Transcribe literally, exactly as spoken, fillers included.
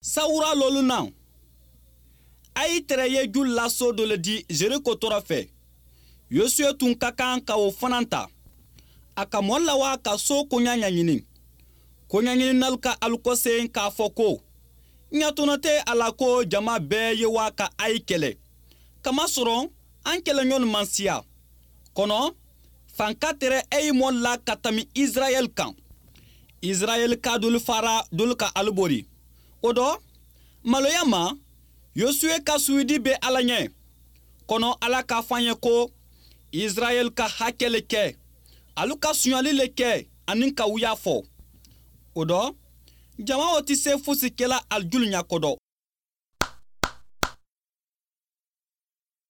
Sawura lolu na, Ayi tɛrɛ ye julu la so dɔ le di Jeriko tɔrɔ fɛ. Yosuye tun ka kan ka o fana ta. A ka mɔɔ lawa ka so koɲa ɲɛɲini. Koɲɛɲininalu ka alu kɔsen k'a fɔ ko ɲatɔnɔ tɛ a la ko jama bɛɛ ye wa ka Ayi kɛlɛ, kamasɔrɔ an kɛlɛɲɔgɔn man siya. Kɔnɔ fanka tɛrɛ Ayi mɔ la ka tami Israɛl kan. Israɛl ka dolu fara dolu ka alu bori. O dɔ maloya ma, Yosuye ka suyidi bɛ Ala ɲɛ. Kɔnɔ Ala k'a fɔ an ye ko Israɛl ka hakɛ le kɛ, alu ka sonyali le kɛ ani ka wuya fɔ. O dɔ jama o tɛ se fosi kɛla alijulu ɲakɔdɔ.